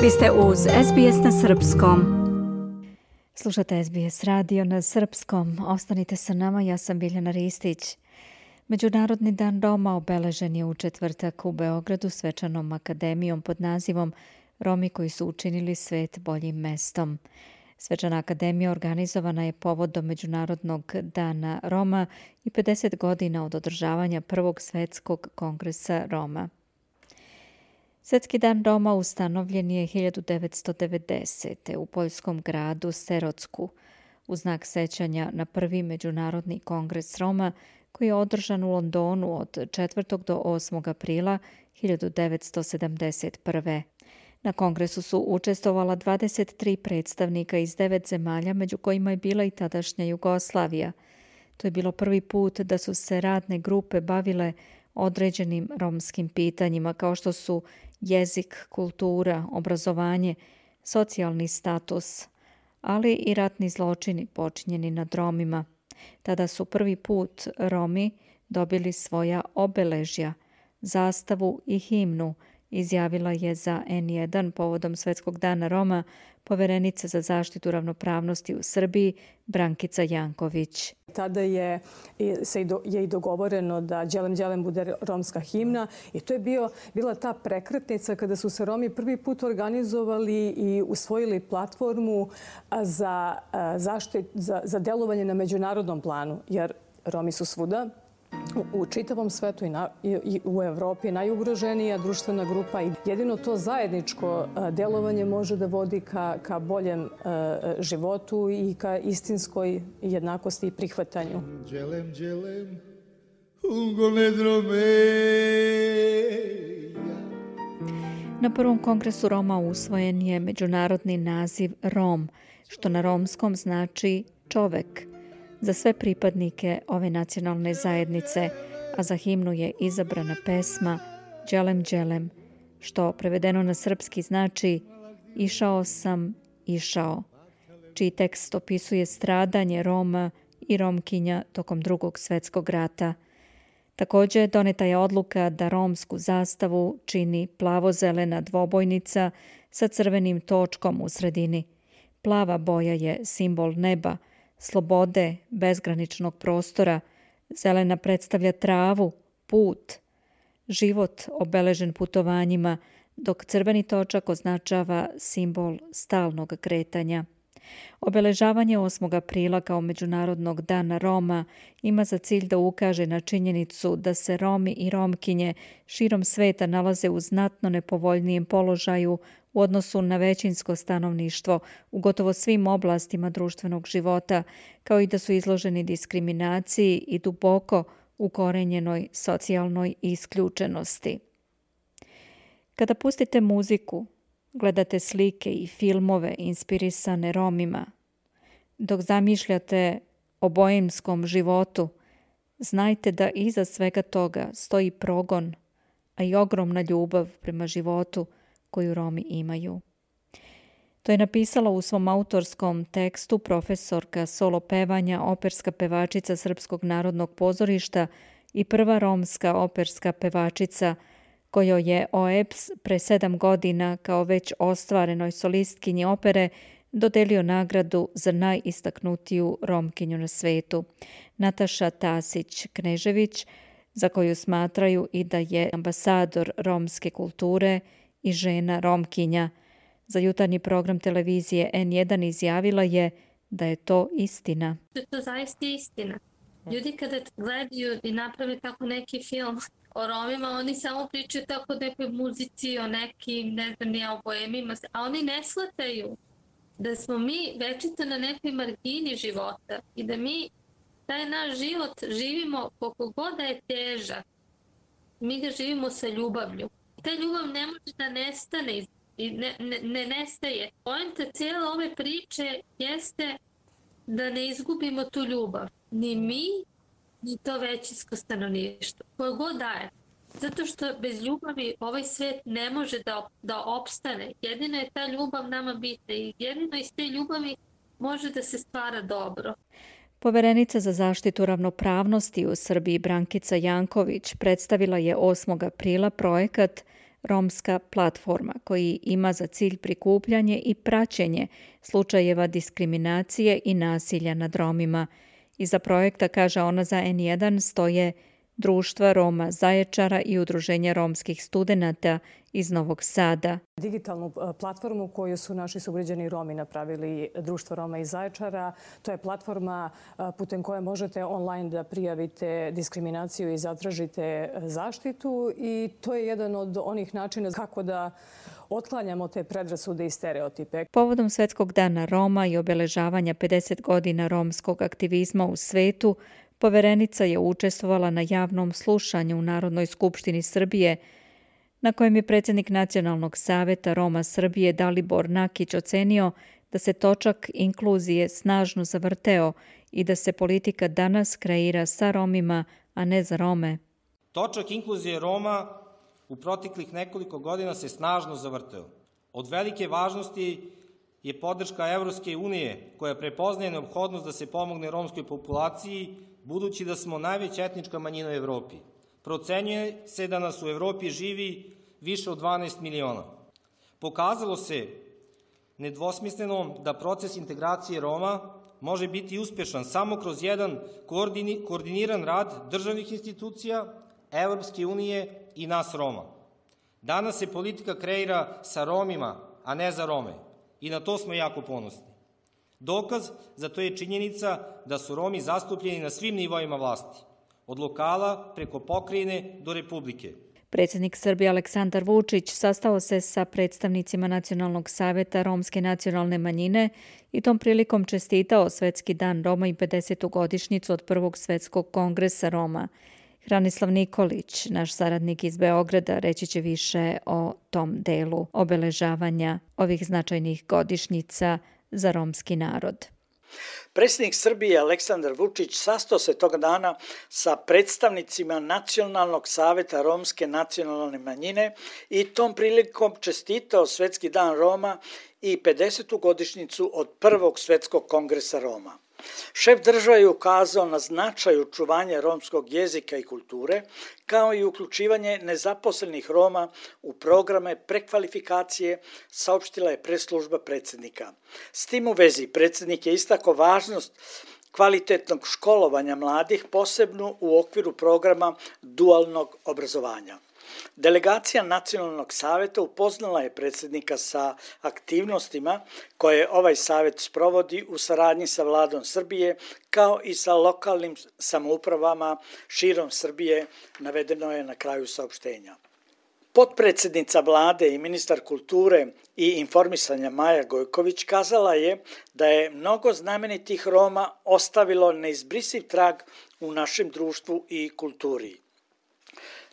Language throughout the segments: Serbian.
Vi ste uz SBS na Srpskom. Slušate SBS radio na Srpskom. Ostanite sa nama, ja sam Biljana Ristić. Međunarodni dan Roma obeležen je u četvrtak u Beogradu svečanom akademijom pod nazivom Romi koji su učinili svet boljim mestom. Svečana akademija organizovana je povodom Međunarodnog dana Roma i 50 godina od održavanja Prvog svetskog kongresa Roma. Svetski dan Roma ustanovljen je 1990. u poljskom gradu Serocku u znak sećanja na prvi Međunarodni kongres Roma koji je održan u Londonu od 4. do 8. aprila 1971. Na kongresu su učestvovala 23 predstavnika iz 9 zemalja, među kojima je bila i tadašnja Jugoslavija. To je bilo prvi put da su se radne grupe bavile određenim romskim pitanjima kao što su jezik, kultura, obrazovanje, socijalni status, ali i ratni zločini počinjeni nad Romima. Tada su prvi put Romi dobili svoja obeležja, zastavu i himnu, izjavila je za N1 povodom Svetskog dana Roma poverenica za zaštitu ravnopravnosti u Srbiji Brankica Janković. Tada je i dogovoreno da Đelem Đelem bude romska himna i to je bila ta prekretnica kada su se Romi prvi put organizovali i usvojili platformu za delovanje na međunarodnom planu, jer Romi su svuda u čitavom svetu i u Evropi najugroženija društvena grupa i jedino to zajedničko delovanje može da vodi ka boljem životu i ka istinskoj jednakosti i prihvatanju. Na prvom kongresu Roma usvojen je međunarodni naziv Rom, što na romskom znači čovek, za sve pripadnike ove nacionalne zajednice, a za himnu je izabrana pesma Đelem Đelem, što prevedeno na srpski znači Išao sam, išao, čiji tekst opisuje stradanje Roma i Romkinja tokom Drugog svjetskog rata. Također doneta je odluka da romsku zastavu čini plavo-zelena dvobojnica sa crvenim točkom u sredini. Plava boja je simbol neba, slobode, bezgraničnog prostora, zelena predstavlja travu, put, život obeležen putovanjima, dok crveni točak označava simbol stalnog kretanja. Obeležavanje 8. aprila kao Međunarodnog dana Roma ima za cilj da ukaže na činjenicu da se Romi i Romkinje širom sveta nalaze u znatno nepovoljnijem položaju u odnosu na većinsko stanovništvo u gotovo svim oblastima društvenog života, kao i da su izloženi diskriminaciji i duboko ukorenjenoj socijalnoj isključenosti. Kada pustite muziku, gledate slike i filmove inspirisane Romima, dok zamišljate o boemskom životu, znajte da iza svega toga stoji progon, a i ogromna ljubav prema životu koju Romi imaju. To je napisala u svom autorskom tekstu profesorka solo pevanja, operska pevačica Srpskog narodnog pozorišta i prva romska operska pevačica kojoj je OEBS pre 7 godina kao već ostvarenoj solistkinji opere dodelio nagradu za najistaknutiju Romkinju na svetu, Nataša Tasić-Knežević, za koju smatraju i da je ambasador romske kulture i žena Romkinja. Za jutarnji program televizije N1 izjavila je da je to istina. To zaista istina. Ljudi kada gledaju i naprave tako neki film o Romima, oni samo pričaju tako o nekoj muzici, o nekim, ne znam, ni o boemima, a oni ne shvataju da smo mi večito na nekoj margini života i da mi taj naš život živimo koliko god da je težak. Mi ga živimo sa ljubavlju. Ta ljubav ne može da nestane i ne nestaje. Poenta cijele ove priče jeste da ne izgubimo tu ljubav. Ni mi, ni to većinsko stanovništvo. Koje god daje. Zato što bez ljubavi ovaj svet ne može da opstane. Jedino je ta ljubav nama bitna i jedino iz te ljubavi može da se stvara dobro. Poverenica za zaštitu ravnopravnosti u Srbiji Brankica Janković predstavila je 8. aprila projekat Romska platforma, koji ima za cilj prikupljanje i praćenje slučajeva diskriminacije i nasilja nad Romima. Iza projekta, kaže ona za N1, stoje Društva Roma Zaječara i Udruženja romskih studenata iz Novog Sada. Digitalnu platformu koju su naši sugrađani Romi napravili, Društvo Roma iz Zaječara, to je platforma putem koje možete online da prijavite diskriminaciju i zatražite zaštitu i to je jedan od onih načina kako da otklanjamo te predrasude i stereotipe. Povodom Svetskog dana Roma i obeležavanja 50 godina romskog aktivizma u svetu, poverenica je učestvovala na javnom slušanju u Narodnoj skupštini Srbije, na kojem je predsjednik Nacionalnog saveta Roma Srbije Dalibor Nakić ocenio da se točak inkluzije snažno zavrteo i da se politika danas kreira sa Romima, a ne za Rome. Točak inkluzije Roma u proteklih nekoliko godina se snažno zavrteo. Od velike važnosti je podrška Evropske unije koja prepoznaje neophodnost da se pomogne romskoj populaciji, budući da smo najveća etnička manjina u Evropi. Procenjuje se da nas u Evropi živi više od 12 miliona. Pokazalo se nedvosmisleno da proces integracije Roma može biti uspešan samo kroz jedan koordiniran rad državnih institucija, Evropske unije i nas Roma. Danas se politika kreira sa Romima, a ne za Rome. I na to smo jako ponosni. Dokaz za to je činjenica da su Romi zastupljeni na svim nivoima vlasti, od lokala preko pokrajine do Republike. Predsjednik Srbije Aleksandar Vučić sastao se sa predstavnicima Nacionalnog saveta Romske nacionalne manjine i tom prilikom čestitao Svetski dan Roma i 50. godišnjicu od Prvog svetskog kongresa Roma. Hranislav Nikolić, naš saradnik iz Beograda, reći će više o tom delu obeležavanja ovih značajnih godišnjica za romski narod. Predsjednik Srbije Aleksandar Vučić sastao se tog dana sa predstavnicima Nacionalnog saveta Romske nacionalne manjine i tom prilikom čestitao Svetski dan Roma i 50. godišnjicu od Prvog svetskog kongresa Roma. Šef države je ukazao na značaj očuvanja romskog jezika i kulture, kao i uključivanje nezaposlenih Roma u programe prekvalifikacije, saopštila je press-služba predsjednika. S tim u vezi predsjednik je istakao važnost kvalitetnog školovanja mladih, posebno u okviru programa dualnog obrazovanja. Delegacija Nacionalnog saveta upoznala je predsjednika sa aktivnostima koje ovaj savet sprovodi u saradnji sa Vladom Srbije, kao i sa lokalnim samoupravama širom Srbije, navedeno je na kraju saopštenja. Potpredsjednica Vlade i ministar kulture i informisanja Maja Gojković kazala je da je mnogo znamenitih Roma ostavilo neizbrisiv trag u našem društvu i kulturi.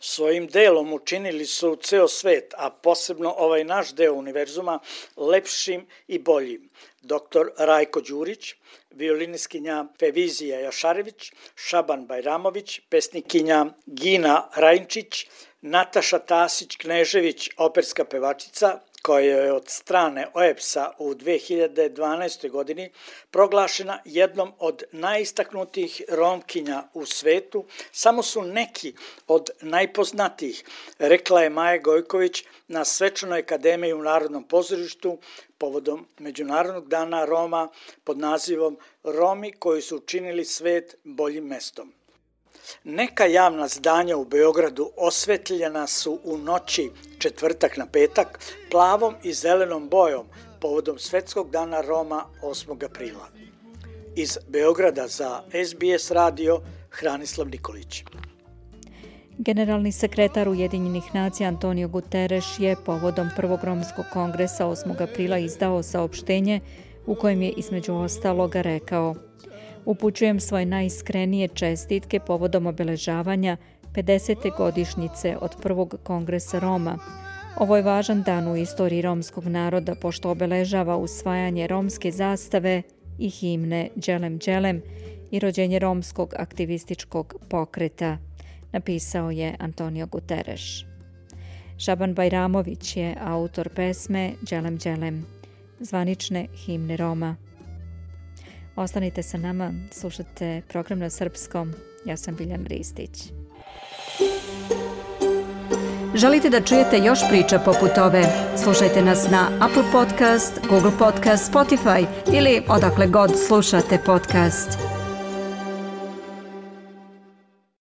Svojim delom učinili su ceo svet, a posebno ovaj naš deo univerzuma, lepšim i boljim. Dr. Rajko Đurić, violiniskinja Fevizija Jašarević, Šaban Bajramović, pesnikinja Gina Rajnčić, Nataša Tasić-Knežević, operska pevačica, koja je od strane OEBS-a u 2012. godini proglašena jednom od najistaknutijih Romkinja u svetu, samo su neki od najpoznatijih, rekla je Maja Gojković na Svečanoj akademiji u Narodnom pozorištu povodom Međunarodnog dana Roma pod nazivom Romi koji su učinili svet boljim mestom. Neka javna zdanja u Beogradu osvetljena su u noći četvrtak na petak plavom i zelenom bojom povodom Svetskog dana Roma 8. aprila. Iz Beograda za SBS radio Hranislav Nikolić. Generalni sekretar Ujedinjenih nacija Antonio Guterres je povodom Prvog romskog kongresa 8. aprila izdao saopštenje u kojem je između ostaloga rekao: upućujem svoje najiskrenije čestitke povodom obeležavanja 50. godišnjice od Prvog kongresa Roma. Ovo je važan dan u istoriji romskog naroda, pošto obeležava usvajanje romske zastave i himne Đelem Đelem i rođenje romskog aktivističkog pokreta, napisao je Antonio Guterres. Šaban Bajramović je autor pesme Đelem Đelem, zvanične himne Roma. Ostanite sa nama, slušate program na srpskom. Ja sam Biljan Ristić. Želite da čujete još priča poput ove? Slušajte nas na Apple Podcast, Google Podcast, Spotify ili odakle god slušate podcast.